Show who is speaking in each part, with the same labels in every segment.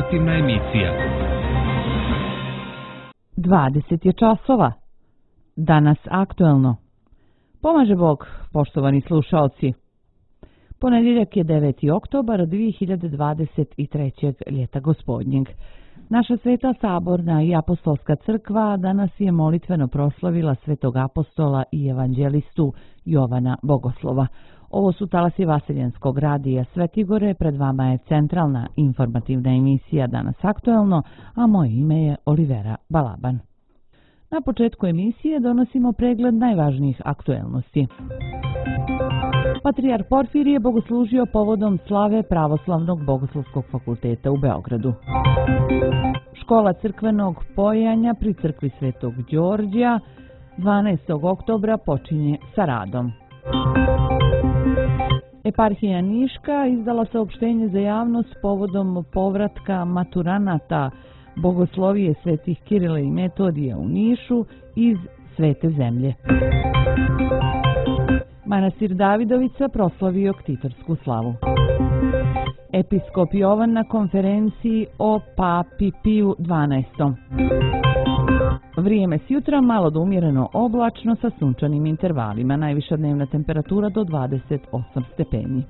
Speaker 1: informativna emisija.
Speaker 2: 20 je časova. Danas aktuelno. Pomaže Bog, poštovani slušaoci. Ponedjeljak je 9. oktobar 2023. ljeta gospodnjeg. Naša Sveta Saborna i Apostolska crkva danas je molitveno proslavila svetog apostola i evanđelistu Jovana Bogoslova. Ovo su talasi Vaseljenskog radija Svetigore, pred vama je centralna informativna emisija Danas aktuelno, a moje ime je Olivera Balaban. Na početku emisije donosimo pregled najvažnijih aktuelnosti. Patrijarh Porfirije bogoslužio povodom slave Pravoslavnog bogoslovskog fakulteta u Beogradu. Škola crkvenog pojanja pri crkvi Svetog Đorđa 12. oktobra počinje sa radom. Eparhija Niška izdala saopštenje za javnost povodom povratka maturanata bogoslovije svetih Kirila i Metodija u Nišu iz Svete zemlje. Manastir Davidovica proslavio ktitorsku slavu. Episkop Jovan na konferenciji o Papi Piju XII. Vrijeme s jutra malo do umjereno oblačno sa sunčanim intervalima, najviša dnevna temperatura do 28 stepeni.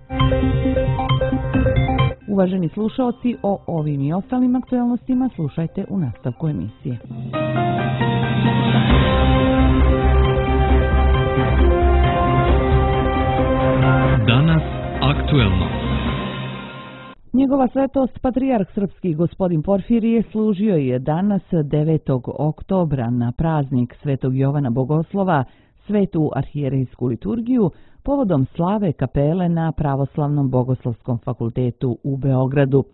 Speaker 2: Uvaženi slušaoci, o ovim i ostalim aktuelnostima slušajte u nastavku emisije.
Speaker 1: Danas aktuelno.
Speaker 2: Njegova svetost patrijarh srpski gospodin Porfirije služio je danas 9. oktobra na praznik Svetog Jovana Bogoslova svetu arhijerejsku liturgiju povodom slave kapele na Pravoslavnom bogoslovskom fakultetu u Beogradu.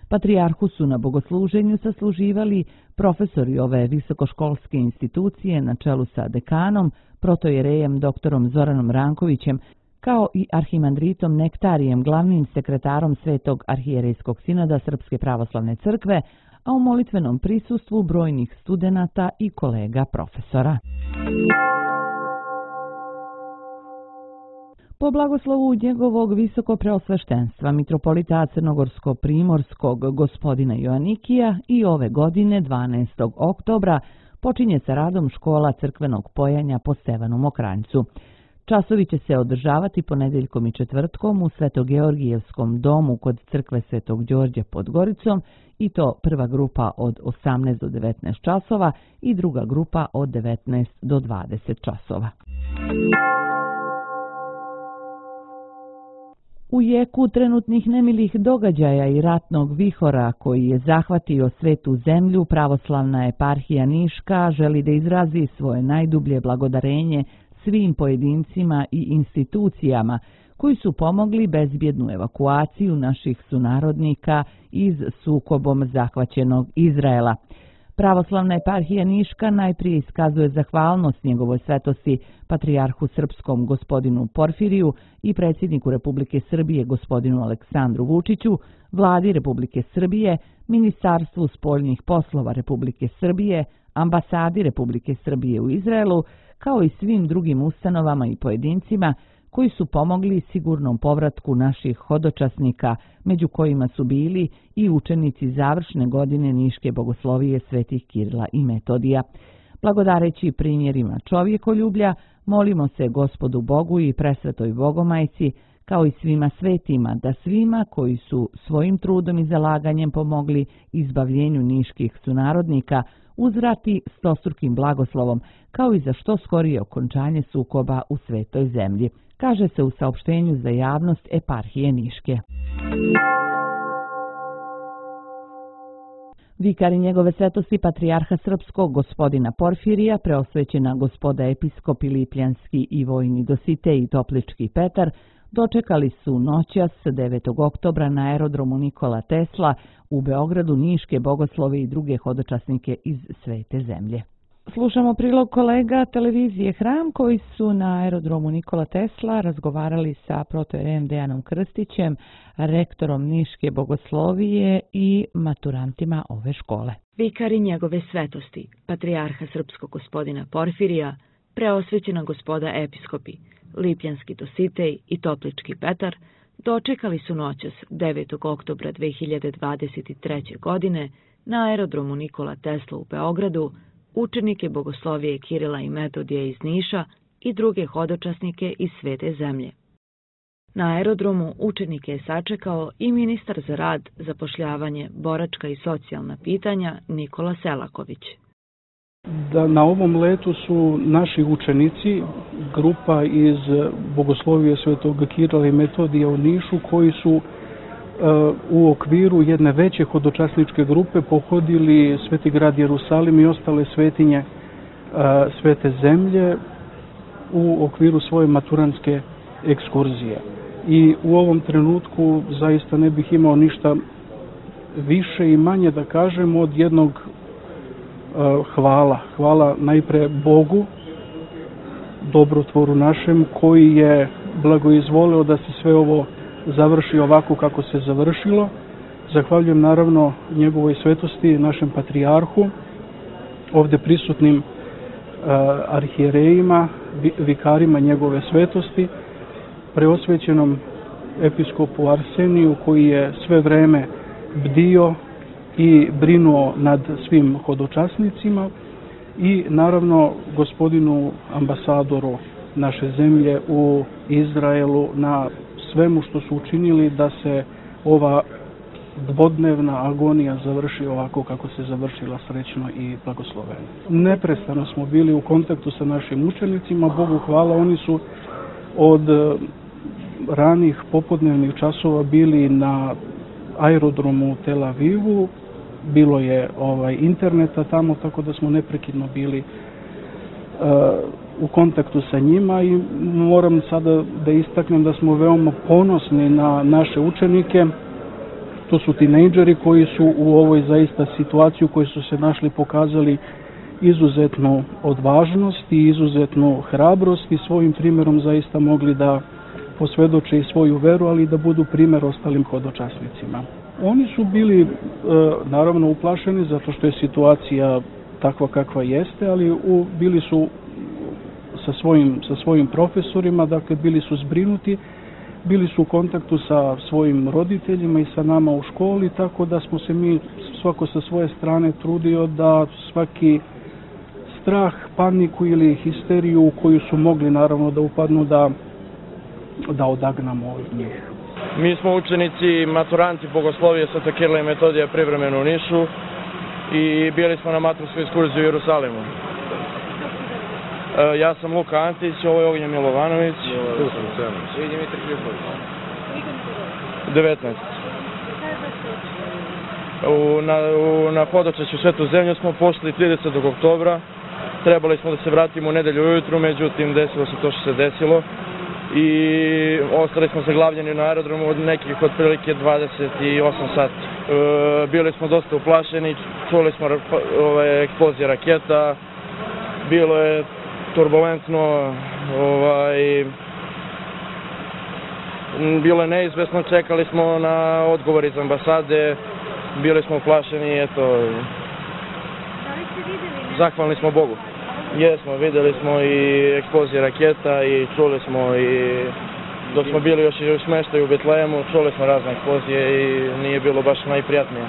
Speaker 2: Patrijarhu su na bogosluženju sasluživali profesori ove visokoškolske institucije na čelu sa dekanom, protojerejem doktorom Zoranom Rankovićem, kao i arhimandritom Nektarijem, glavnim sekretarom Svetog arhijerejskog sinoda Srpske pravoslavne crkve, a u molitvenom prisustvu brojnih studenata i kolega profesora. Po blagoslovu njegovog visokopreosveštenstva mitropolita Crnogorsko-primorskog gospodina Joanikija i ove godine 12. oktobra počinje sa radom škola crkvenog pojanja po Stevanu Mokranjcu. Časovi će se održavati ponedjeljkom i četvrtkom u Svetogeorgijevskom domu kod crkve Svetog Đorđa pod Goricom, i to prva grupa od 18 do 19 časova i druga grupa od 19 do 20 časova. U jeku trenutnih nemilih događaja i ratnog vihora koji je zahvatio svetu zemlju, pravoslavna eparhija Niška želi da izrazi svoje najdublje blagodarenje svim pojedincima i institucijama koji su pomogli bezbjednu evakuaciju naših sunarodnika iz sukobom zahvaćenog Izraela. Pravoslavna eparhija Niška najprije iskazuje zahvalnost njegovoj svetosti patrijarhu srpskom gospodinu Porfiriju i predsjedniku Republike Srbije gospodinu Aleksandru Vučiću, vladi Republike Srbije, Ministarstvu spoljnih poslova Republike Srbije, ambasadi Republike Srbije u Izraelu, kao i svim drugim ustanovama i pojedincima koji su pomogli sigurnom povratku naših hodočasnika, među kojima su bili i učenici završne godine Niške bogoslovije svetih Kirila i Metodija. Blagodareći primjerima čovjekoljublja, molimo se Gospodu Bogu i presvetoj Bogomajci, kao i svima svetima, da svima koji su svojim trudom i zalaganjem pomogli izbavljenju niških sunarodnika uzvrati stostrukim blagoslovom, kao i za što skorije okončanje sukoba u svetoj zemlji, kaže se u saopštenju za javnost eparhije Niške. Vikari njegove svetosti patrijarha srpskog gospodina Porfirija, preosvećena gospoda episkopi Lipljanski i Vojni Dositej i Toplički Petar, dočekali su noćas 9. oktobra na aerodromu Nikola Tesla u Beogradu niške bogoslove i druge hodočasnike iz svete zemlje. Slušamo prilog kolega televizije Hram koji su na aerodromu Nikola Tesla razgovarali sa protojerejem Dejanom Krstićem, rektorom Niške bogoslovije i maturantima ove škole.
Speaker 3: Vikari njegove svetosti, patrijarha srpskog gospodina Porfirija, preosvećena gospoda episkopi, Lipljanski Dositej i Toplički Petar, dočekali su noćas 9. oktobra 2023. godine na aerodromu Nikola Tesla u Beogradu učenike bogoslovije Kirila i Metodija iz Niša i druge hodočasnike iz svete zemlje. Na aerodromu učenike je sačekao i ministar za rad, zapošljavanje, boračka i socijalna pitanja Nikola Selaković.
Speaker 4: Na ovom letu su naši učenici, grupa iz Bogoslovije Svetog Kirila i Metodija u Nišu, koji su u okviru jedne veće hodočasničke grupe pohodili Sveti grad Jerusalim i ostale svetinje svete zemlje u okviru svoje maturantske ekskurzije. I u ovom trenutku zaista ne bih imao ništa više i manje da kažem od jednog hvala. Hvala najpre Bogu, dobrotvoru našem, koji je blagoizvolio da se sve ovo završi ovako kako se završilo. Zahvaljujem naravno njegovoj svetosti, našem patrijarhu, ovde prisutnim arhijerejima, vikarima njegove svetosti, preosvećenom episkopu Arseniju, koji je sve vreme bdio i brinuo nad svim hodočasnicima, i naravno gospodinu ambasadoru naše zemlje u Izraelu na svemu što su učinili da se ova dvodnevna agonija završi ovako kako se završila, srećno i blagosloveno. Neprestano smo bili u kontaktu sa našim učenicima, Bogu hvala, oni su od ranih popodnevnih časova bili na aerodromu u Tel Avivu, bilo je interneta tamo, tako da smo neprekidno bili u kontaktu sa njima i moram sada da istaknem da smo veoma ponosni na naše učenike. To su tinejdžeri koji su u ovoj zaista situaciji u kojoj su se našli pokazali izuzetnu odvažnost i izuzetnu hrabrost i svojim primjerom zaista mogli da posvedoče i svoju veru, ali i da budu primjer ostalim hodočasnicima. Oni su bili naravno uplašeni zato što je situacija takva kakva jeste, ali bili su sa svojim profesorima, dakle bili su zbrinuti, bili su u kontaktu sa svojim roditeljima i sa nama u školi, tako da smo se mi svako sa svoje strane trudio da svaki strah, paniku ili histeriju u koju su mogli naravno da upadnu da odagnamo od njih.
Speaker 5: Mi smo učenici, maturanti Bogoslovije Svetog Kirila i Metodija privremeno u Nišu i bili smo na maturskoj ekskurziji u Jerusalimu. Ja sam Luka Antić, ovo je Ognjen Milovanović. I Dimitar Kripović. 19. Na hodočašću Svetu zemlju smo pošli 30. oktobra. Trebali smo da se vratimo u nedelju ujutru, međutim desilo se to što se desilo. I ostali smo zaglavljeni na aerodromu od nekih otprilike 28 sati. Bili smo dosta uplašeni, čuli smo eksplozije raketa, bilo je turbulentno, bilo je neizvesno, čekali smo na odgovor iz ambasade, bili smo uplašeni, eto. Da li ste videli? Zahvalni smo Bogu. Jesmo, videli smo i eksplozije raketa i čuli smo i dok smo bili još i u smeštaju u Betlehemu, čuli smo razne eksplozije i nije bilo baš najprijatnije.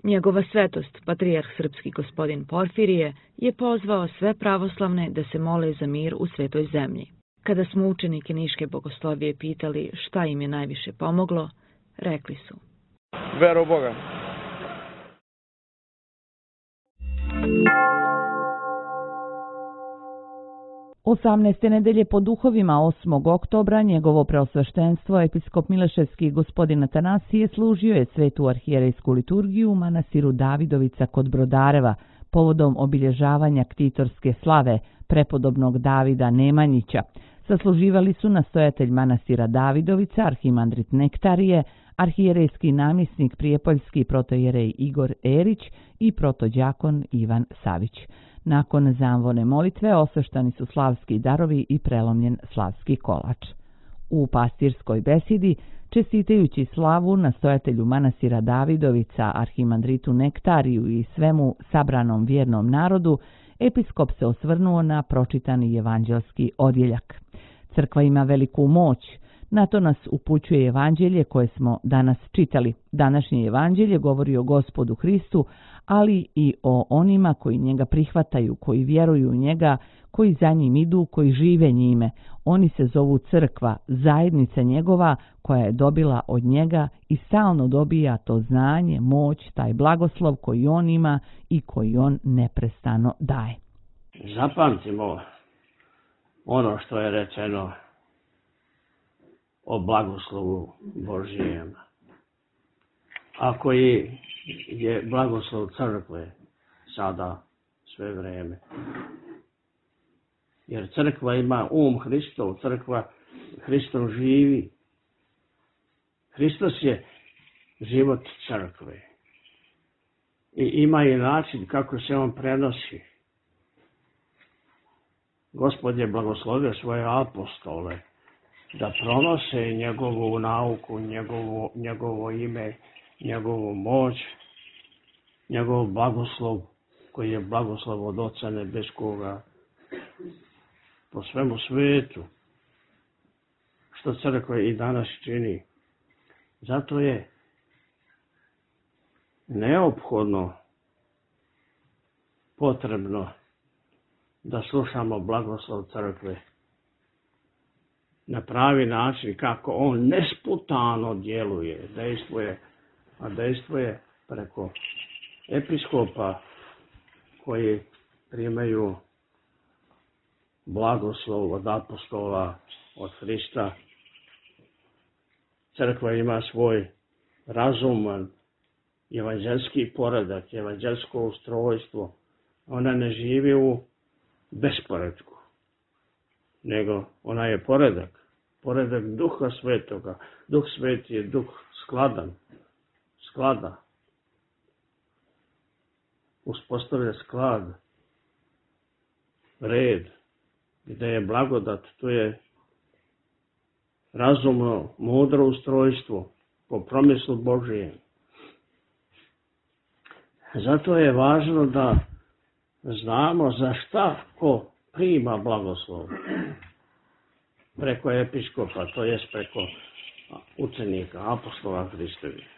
Speaker 3: Njegova svetost, patrijarh srpski gospodin Porfirije, je pozvao sve pravoslavne da se mole za mir u svetoj zemlji. Kada smo učenike Niške bogoslovije pitali šta im je najviše pomoglo, rekli su:
Speaker 5: Vera u Boga.
Speaker 2: Osamnaeste nedelje po duhovima 8. oktobra njegovo preosveštenstvo episkop Mileševski gospodin Atanasije služio je svetu arhijerejsku liturgiju u manastiru Davidovica kod Brodareva povodom obilježavanja ktitorske slave prepodobnog Davida Nemanjića. Sasluživali su nastojatelj manastira Davidovica, arhimandrit Nektarije, arhijerejski namjesnik prijepoljski protojerej Igor Erić i protođakon Ivan Savić. Nakon zamvone molitve osveštani su slavski darovi i prelomljen slavski kolač. U pastirskoj besidi, čestitajući slavu nastojatelju manastira Davidovica, arhimandritu Nektariju i svemu sabranom vjernom narodu, episkop se osvrnuo na pročitani evanđelski odjeljak. Crkva ima veliku moć, Na to nas upućuje evanđelje koje smo danas čitali. Današnje evanđelje govori o Gospodu Hristu, ali i o onima koji njega prihvataju, koji vjeruju u njega, koji za njim idu, koji žive njime. Oni se zovu crkva, zajednica njegova koja je dobila od njega i stalno dobija to znanje, moć, taj blagoslov koji on ima i koji on neprestano daje.
Speaker 6: Zapamtimo ono što je rečeno o blagoslovu Božijem, a koji je blagoslov crkve sada sve vreme. Jer crkva ima Hristov, crkva Hristov živi. Hristos je život crkve. I ima i način kako se on prenosi. Gospod je blagoslovio svoje apostole da pronose njegovu nauku, njegovo ime, njegovu moć, njegov blagoslov, koji je blagoslov od Oca Nebeskoga po svemu svetu, što crkva i danas čini. Zato je neophodno, potrebno da slušamo blagoslov crkve na pravi način, kako on nesputano djeluje, dejstvuje preko episkopa koji primaju blagoslov od apostola, od Hrista. Crkva ima svoj razuman evanđelski poredak, evanđelsko ustrojstvo. Ona ne živi u besporedku, nego ona je poredak Duha Svetoga. Duh Sveti je duh sklada. Uspostavlja sklad, red, gdje je blagodat, to je razumno, mudro ustrojstvo po promislu Božijem. Zato je važno da znamo za šta ko prima blagoslov preko episkopa, to jest preko učenika, apostola Hristovih.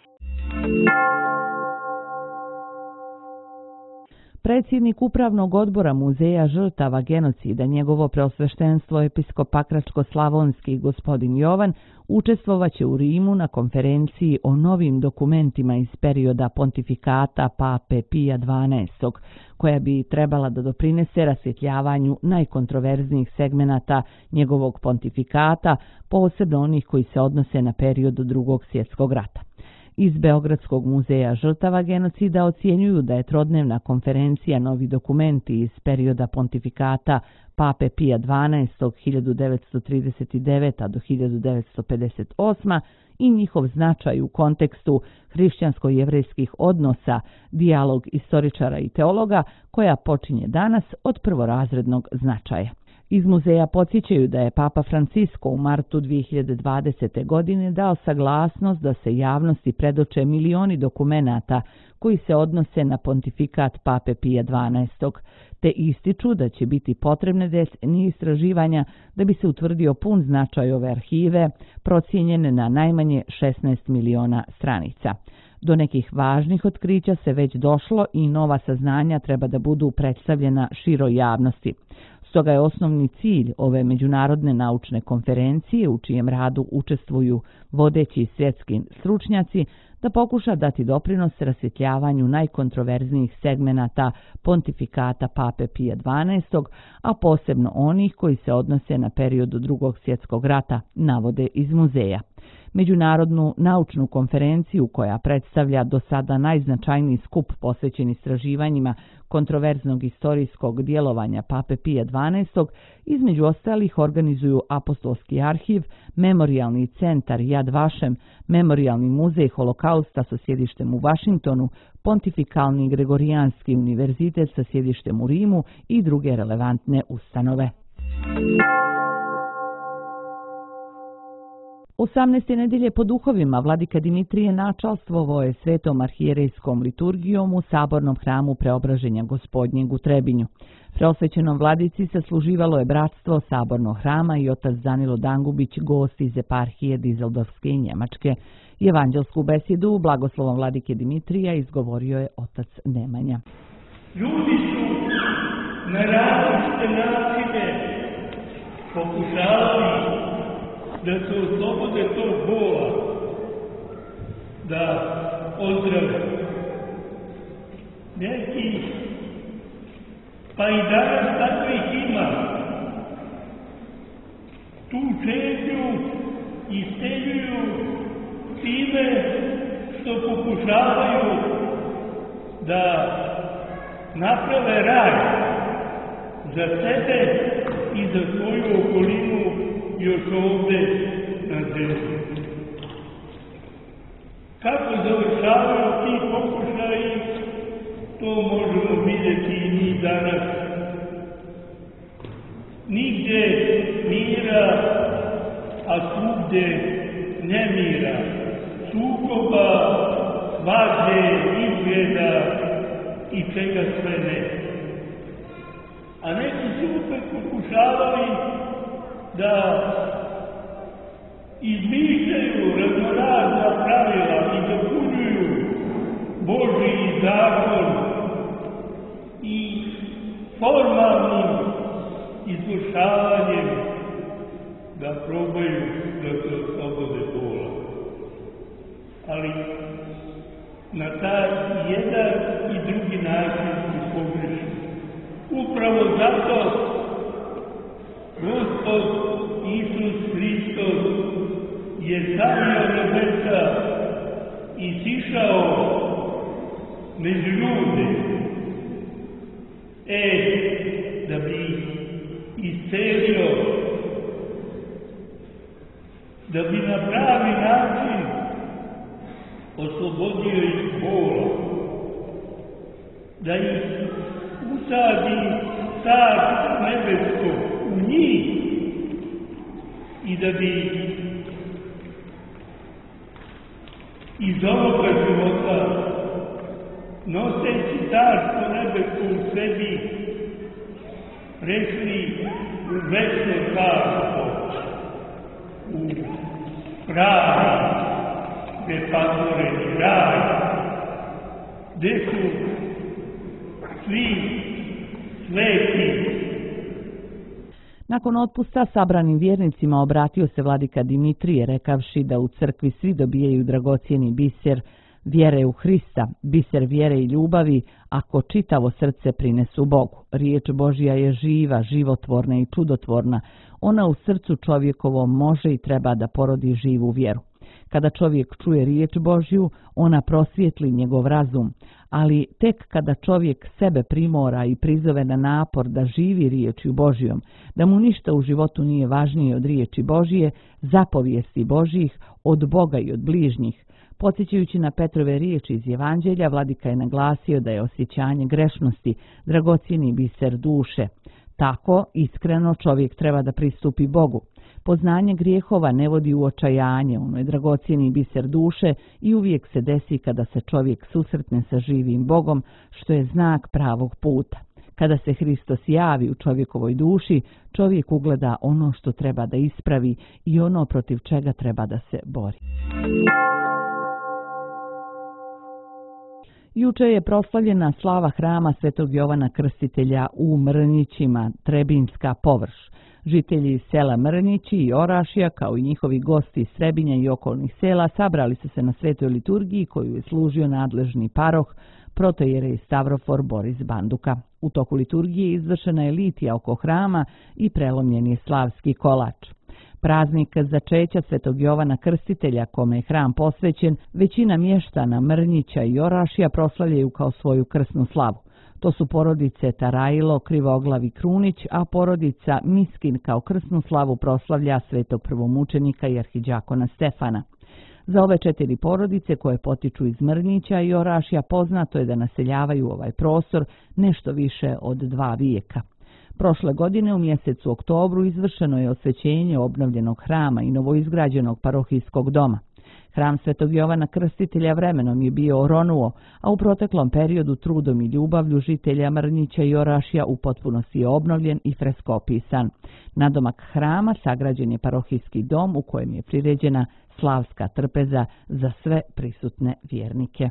Speaker 2: Predsjednik Upravnog odbora Muzeja žrtava genocida, njegovo preosveštenstvo episkop Pakračko-slavonski gospodin Jovan, učestvovaće u Rimu na konferenciji o novim dokumentima iz perioda pontifikata Pape Pija XII, koja bi trebala da doprinese rasvjetljavanju najkontroverznijih segmenata njegovog pontifikata, posebno onih koji se odnose na period Drugog svjetskog rata. Iz Beogradskog muzeja žrtava genocida ocjenjuju da je trodnevna konferencija Novi dokumenti iz perioda pontifikata Pape Pija XII 1939. do 1958. i njihov značaj u kontekstu hrišćansko-jevrejskih odnosa, dijalog istoričara i teologa, koja počinje danas od prvorazrednog značaja. Iz muzeja podsjećaju da je Papa Francisco u martu 2020. godine dao saglasnost da se javnosti predoče milioni dokumenata koji se odnose na pontifikat Pape Pija XII, te ističu da će biti potrebne decenije istraživanja da bi se utvrdio pun značaj ove arhive, procijenjene na najmanje 16 miliona stranica. Do nekih važnih otkrića se već došlo i nova saznanja treba da budu predstavljena široj javnosti. Stoga je osnovni cilj ove međunarodne naučne konferencije, u čijem radu učestvuju vodeći svjetski stručnjaci, da pokuša dati doprinos rasvjetljavanju najkontroverznijih segmenata pontifikata Pape Pija XII, a posebno onih koji se odnose na period Drugog svjetskog rata, navode iz muzeja. Međunarodnu naučnu konferenciju, koja predstavlja do sada najznačajniji skup posvećen istraživanjima kontroverznog istorijskog djelovanja Pape Pija XII, između ostalih organizuju Apostolski arhiv, Memorijalni centar Yad Vashem, Memorijalni muzej Holokausta sa sjedištem u Vašingtonu, Pontifikalni Gregorijanski univerzitet sa sjedištem u Rimu i druge relevantne ustanove. 18. nedelje po duhovima vladika Dimitrije načalstvovao je svetom arhijerejskom liturgijom u sabornom hramu Preobraženja Gospodnjeg u Trebinju. Preosvećenom vladici se služivalo je bratstvo sabornog hrama i otac Danilo Dangubić, gost iz eparhije Dizeldorfske i Njemačke. Evanđelsku besedu blagoslovom vladike Dimitrija izgovorio je otac Nemanja.
Speaker 7: Ljudi su na različite načine pokušavali da se oslobode tog bola, da ozdrave. Neki, pa i danas takvih ima, tu čežnju isteljuju time što pokušavaju da naprave raj za sebe i za svoju okolinu još ovde na zemlji. Kako završavaju ti pokušaji, to možemo vidjeti i mi danas. Nigde mira, a svugde nemira, sukoba, svađe, izgleda i čega sve ne. A neki su opet pokušavali da izmišljaju raznorazna pravila i dopunjuju Božji zakon i formalnim izvršavanjem da probaju da se oslobode bola. Ali na taj jedan i drugi način su pogrešni. Upravo zato Gospod Isus Hristos je stavio nebesa i sišao među ljude, da bi iscelio, da bi na pravi način oslobodio ih bola, da ih usadi Carstvo nebesko u njih i da bi iz ovoga života, noseći Carstvo nebesko u sebi, prešli u večno carstvo, u pravi, nepatvoreni raj, gde su svi sveti.
Speaker 2: Nakon otpusta sabranim vjernicima obratio se vladika Dimitrije rekavši da u crkvi svi dobijaju dragocijeni biser vjere u Hrista, biser vjere i ljubavi, ako čitavo srce prinesu Bogu. Riječ Božja je živa, životvorna i čudotvorna. Ona u srcu čovjekovom može i treba da porodi živu vjeru. Kada čovjek čuje riječ Božju, ona prosvijetli njegov razum, ali tek kada čovjek sebe primora i prizove na napor da živi riječju Božjom, da mu ništa u životu nije važnije od riječi Božje, zapovijesti Božjih, od Boga i od bližnjih. Podsjećajući na Petrove riječi iz Evanđelja, vladika je naglasio da je osjećanje grešnosti dragocjeni biser duše. Tako, iskreno, čovjek treba da pristupi Bogu. Poznanje grijehova ne vodi u očajanje, ono je dragocjeni biser duše i uvijek se desi kada se čovjek susretne sa živim Bogom, što je znak pravog puta. Kada se Hristos javi u čovjekovoj duši, čovjek ugleda ono što treba da ispravi i ono protiv čega treba da se bori. Juče je proslavljena slava hrama Svetog Jovana Krstitelja u Mrnjićima, Trebinjska površ. Žitelji sela Mrnjići i Orašja, kao i njihovi gosti iz Srebinja i okolnih sela, sabrali su se na svetoj liturgiji koju je služio nadležni paroh, protojerej Stavrofor Boris Banduka. U toku liturgije izvršena je litija oko hrama i prelomljen je slavski kolač. Praznik začeća Svetog Jovana Krstitelja, kome je hram posvećen, većina mještana Mrnjića i Orašja proslavljaju kao svoju krsnu slavu. To su porodice Tarajilo, Krivoglav i Krunić, a porodica Miskin kao krsnu slavu proslavlja svetog prvomučenika i arhidžakona Stefana. Za ove 4 porodice koje potiču iz Mrnjića i Orašja poznato je da naseljavaju ovaj prostor nešto više od 2 vijeka. Prošle godine u mjesecu oktobru izvršeno je osvećenje obnovljenog hrama i novoizgrađenog parohijskog doma. Hram Svetog Jovana Krstitelja vremenom je bio oronuo, a u proteklom periodu trudom i ljubavlju žitelja Mrnjića i Orašja u potpunosti je obnovljen i freskopisan. Nadomak hrama sagrađen je parohijski dom u kojem je priređena slavska trpeza za sve prisutne vjernike.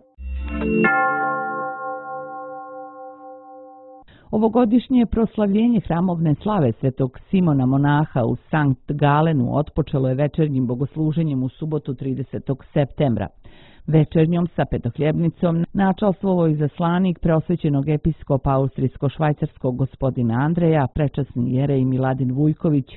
Speaker 2: Ovogodišnje proslavljenje hramovne slave Svetog Simona Monaha u Sankt Galenu otpočelo je večernjim bogosluženjem u subotu 30. septembra. Večernjom sa petohljebnicom načalstvovao izaslanik preosvećenog episkopa austrijsko-švajcarskog gospodina Andreja, prečasni jerej Miladin Vujković,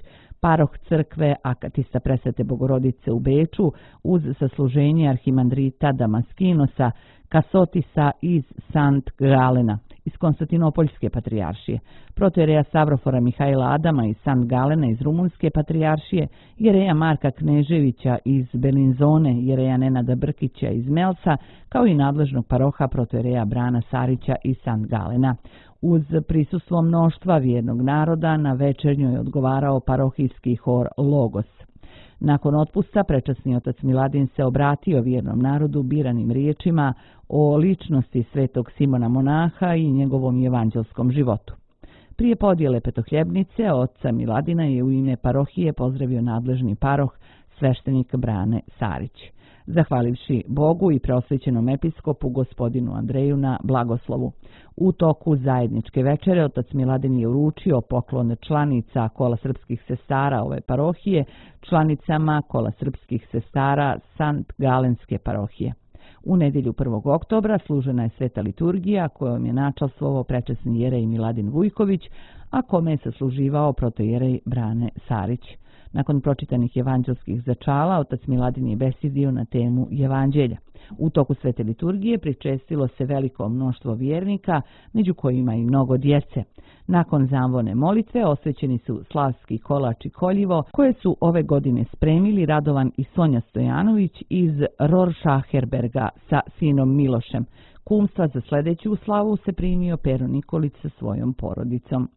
Speaker 2: paroh crkve Akatista Presvete Bogorodice u Beču, uz sasluženje arhimandrita Damaskinosa Kasotisa iz Sankt Galena iz Konstantinopoljske patrijaršije, protojereja Savrofora Mihajla Adama iz Sankt Galena iz Rumunjske patrijaršije, jereja Marka Kneževića iz Belinzone, jereja Nenada Brkića iz Melca, kao i nadležnog paroha protojereja Brana Sarića iz Sankt Galena. Uz prisustvo mnoštva vjernog naroda na večernjoj je odgovarao parohijski hor Logos. Nakon otpusta prečasni otac Miladin se obratio vjernom narodu biranim riječima o ličnosti Svetog Simona Monaha i njegovom evanđelskom životu. Prije podjele petohljebnice oca Miladina je u ime parohije pozdravio nadležni paroh sveštenik Brane Sarić. Zahvalivši Bogu i preosvećenom episkopu gospodinu Andreju na blagoslovu. U toku zajedničke večere otac Miladin je uručio poklon članica Kola srpskih sestara ove parohije članicama Kola srpskih sestara Sankt Galenske parohije. U nedjelju 1. oktobra služena je sveta liturgija kojom je načalstvovao prečasni jerej Miladin Vujković, a kome je sasluživao protojerej Brane Sarić. Nakon pročitanih evanđelskih začala, otac Miladin je besedio na temu evanđelja. U toku svete liturgije pričestilo se veliko mnoštvo vjernika, među kojima i mnogo djece. Nakon zamvone molitve osvećeni su slavski kolač i koljivo, koje su ove godine spremili Radovan i Sonja Stojanović iz Rorschacherberga sa sinom Milošem. Kumstva za sljedeću slavu se primio Pero Nikolić sa svojom porodicom.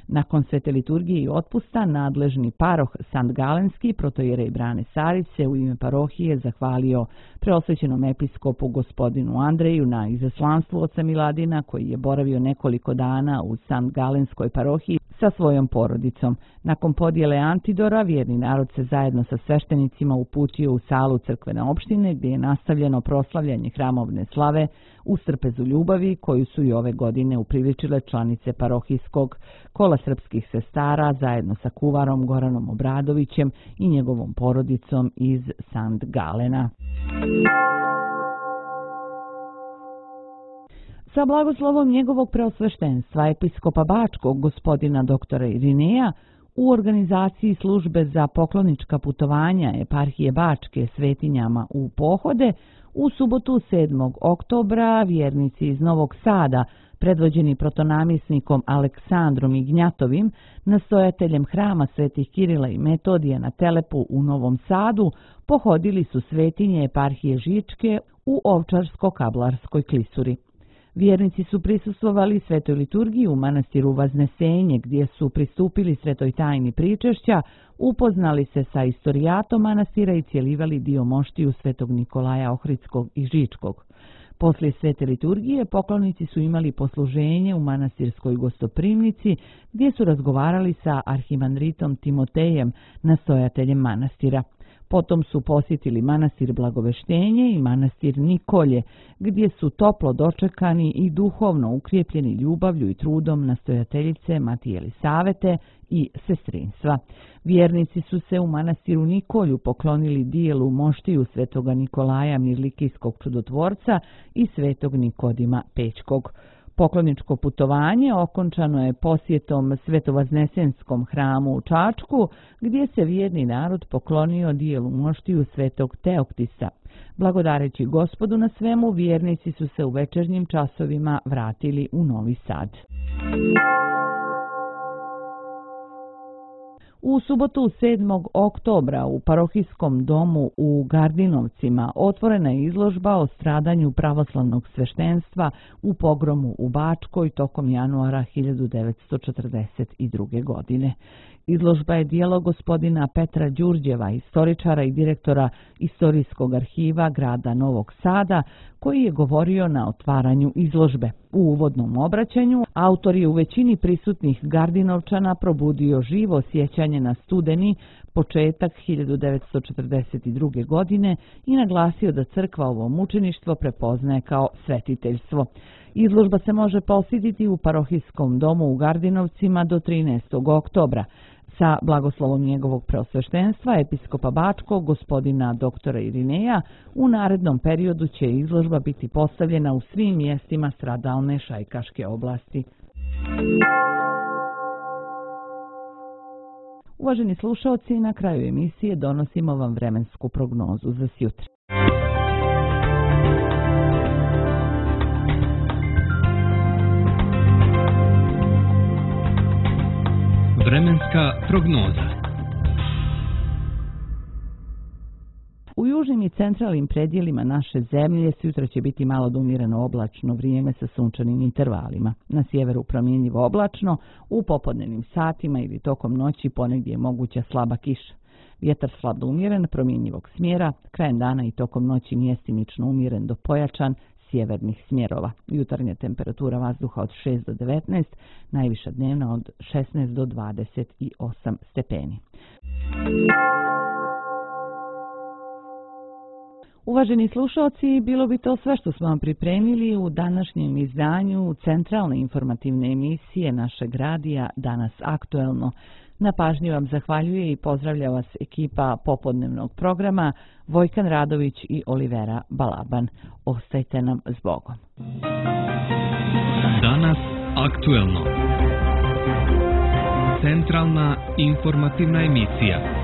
Speaker 2: Nakon svete liturgije i otpusta, nadležni paroh Sankt Galenski protojerej Brane Sarić se u ime parohije zahvalio preosvećenom episkopu gospodinu Andreju na izaslanstvu oca Miladina, koji je boravio nekoliko dana u Sankt Galenskoj parohiji sa svojom porodicom. Nakon podjele antidora, vjerni narod se zajedno sa sveštenicima uputio u salu crkvene opštine, gdje je nastavljeno proslavljanje hramovne slave u trpezu ljubavi, koju su i ove godine upriličile članice parohijskog Kola srpskih sestara zajedno sa kuvarom Goranom Obradovićem i njegovom porodicom iz Sankt Galena. Sa blagoslovom njegovog preosveštenstva episkopa Bačkog gospodina doktora Irineja u organizaciji službe za poklonička putovanja eparhije Bačke svetinjama u pohode u subotu 7. oktobra vjernici iz Novog Sada, predvođeni protonamjesnikom Aleksandrom Ignjatovim, nastojateljem hrama svetih Kirila i Metodija na Telepu u Novom Sadu, pohodili su svetinje eparhije Žičke u Ovčarsko-Kablarskoj klisuri. Vjernici su prisustvovali svetoj liturgiji u manastiru Vaznesenje, gdje su pristupili svetoj tajni pričešća, upoznali se sa istorijatom manastira i cjelivali dio moštiju svetog Nikolaja Ohridskog i Žičkog. Poslije svete liturgije poklonici su imali posluženje u manastirskoj gostoprimnici, gdje su razgovarali sa arhimandritom Timotejem, nastojateljem manastira. Potom su posjetili manastir Blagoveštenje i manastir Nikolje, gdje su toplo dočekani i duhovno ukrijepljeni ljubavlju i trudom nastojateljice Matije Elisavete i sestrinstva. Vjernici su se u manastiru Nikolju poklonili dijelu moštiju svetoga Nikolaja Mirlikijskog čudotvorca i svetog Nikodima Pećkog. Pokloničko putovanje okončano je posjetom Svetovaznesenskom hramu u Čačku, gdje se vjerni narod poklonio dijelu moštiju svetog Teoktisa. Blagodareći Gospodu na svemu, vjernici su se u večernjim časovima vratili u Novi Sad. U subotu 7. oktobra u parohijskom domu u Gardinovcima otvorena je izložba o stradanju pravoslavnog sveštenstva u pogromu u Bačkoj tokom januara 1942. godine. Izložba je djelo gospodina Petra Đurđeva, istoričara i direktora Istorijskog arhiva grada Novog Sada, koji je govorio na otvaranju izložbe. U uvodnom obraćanju autor je u većini prisutnih Gardinovčana probudio živo sjećanje na studeni početak 1942. godine i naglasio da crkva ovo mučeništvo prepoznaje kao svetiteljstvo. Izložba se može posjetiti u parohijskom domu u Gardinovcima do 13. oktobra. Sa blagoslovom njegovog preosveštenstva, episkopa Bačkog, gospodina doktora Irineja, u narednom periodu će izložba biti postavljena u svim mjestima stradalne Šajkaške oblasti. Uvaženi slušaoci, na kraju emisije donosimo vam vremensku prognozu za sjutra.
Speaker 1: Vremenska prognoza.
Speaker 2: U južnim i centralnim predjelima naše zemlje sutra će biti malo do umjereno oblačno vrijeme sa sunčanim intervalima. Na sjeveru promjenjivo oblačno, u popodnevnim satima ili tokom noći ponegdje je moguća slaba kiša. Vjetar slab do umjeren, promjenjivog smjera, krajem dana i tokom noći mjestimično umjeren do pojačan sjevernih smjerova. Jutarnja temperatura vazduha od 6 do 19, najviša dnevna od 16 do 28 stepeni. Uvaženi slušalci, bilo bi to sve što smo vam pripremili u današnjem izdanju centralne informativne emisije našeg radija Danas aktuelno. Na pažnji vam zahvaljuje i pozdravlja vas ekipa popodnevnog programa Vojkan Radović i Olivera Balaban. Ostajte nam s Bogom.
Speaker 1: Danas aktuelno. Centralna informativna emisija.